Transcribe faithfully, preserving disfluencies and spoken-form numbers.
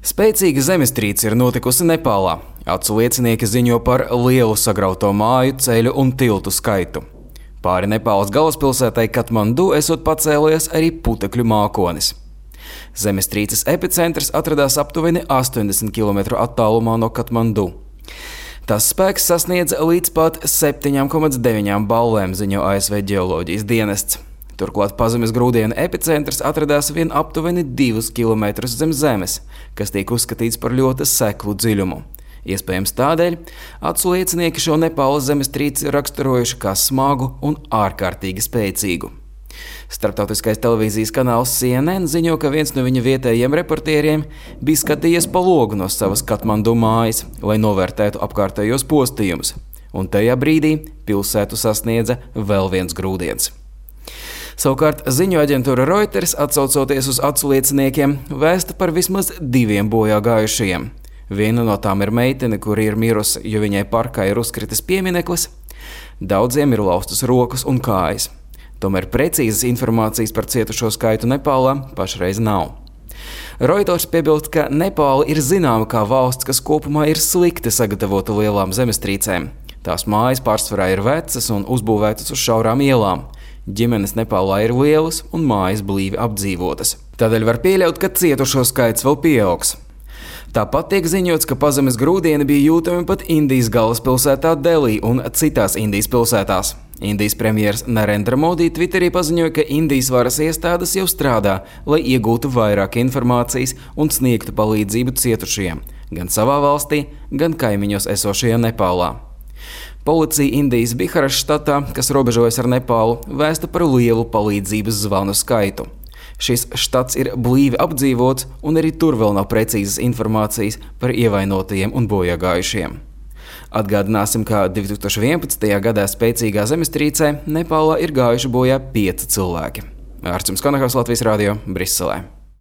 Spēcīga zemestrīce ir notikusi Nepālā. Acu liecinieki ziņo par lielu sagrauto māju, ceļu un tiltu skaitu. Pāri Nepālas galvaspilsētai Katmandu esot pacēlies arī putekļu mākonis. Zemestrīces epicentrs atradās aptuveni astoņdesmit kilometru attālumā no Katmandu. Tas spēks sasniedza līdz pat septiņi komats deviņi ballēm, ziņo A S V ģeoloģijas dienests. Turklāt pazemes grūdienu epicentrs atradās vien aptuveni divus kilometrus zem zemes, kas tiek uzskatīts par ļoti seklu dziļumu. Iespējams tādēļ acu liecinieki šo Nepālas zemestrīci raksturojuši kā smagu un ārkārtīgi spēcīgu. Starptautiskais televīzijas kanāls C N N ziņo, ka viens no viņa vietējiem reportieriem bija skatījies pa logu no savas Katmandu mājas, lai novērtētu apkārtējos postījumus, un tajā brīdī pilsētu sasniedza vēl viens grūdienis. Savukārt ziņu aģentūra Reuters, atsaucoties uz acu lieciniekiem, vēsta par vismaz diviem bojā gājušajiem. Viena no tām ir meitene, kur ir mirusi, jo viņai parkā ir uzkritis piemineklis. Daudziem ir laustas rokas un kājas. Tomēr precīzas informācijas par cietušo skaitu Nepālā pašreiz nav. Reuters piebilst, ka Nepāla ir zināma kā valsts, kas kopumā ir slikti sagatavota lielām zemestrīcēm. Tās mājas pārsvarā ir vecas un uzbūvētas uz šaurām ielām. Ģimenes Nepālā ir lielas un mājas blīvi apdzīvotas. Tādēļ var pieļaut, ka cietušo skaits vēl pieaugs. Tāpat tiek ziņots, ka pazemes grūdieni bija jūtami pat Indijas galvaspilsētā Delī un citās Indijas pilsētās. Indijas premjers Narendra Modi Twitterī paziņoja, ka Indijas varas iestādes jau strādā, lai iegūtu vairāk informācijas un sniegtu palīdzību cietušajiem, gan savā valstī, gan kaimiņos esošajā Nepālā. Policija Indijas Biharas štatā, kas robežojas ar Nepālu, vēsta par lielu palīdzības zvanu skaitu. Šis štats ir blīvi apdzīvots, un arī tur vēl nav precīzas informācijas par ievainotajiem un bojāgājušiem. Atgādināsim, ka divi tūkstoši vienpadsmitajā gadā spēcīgā zemestrīcē Nepālā ir gājuši bojā pieci cilvēki. Ārsts Konahaus, Latvijas radio, Briselē.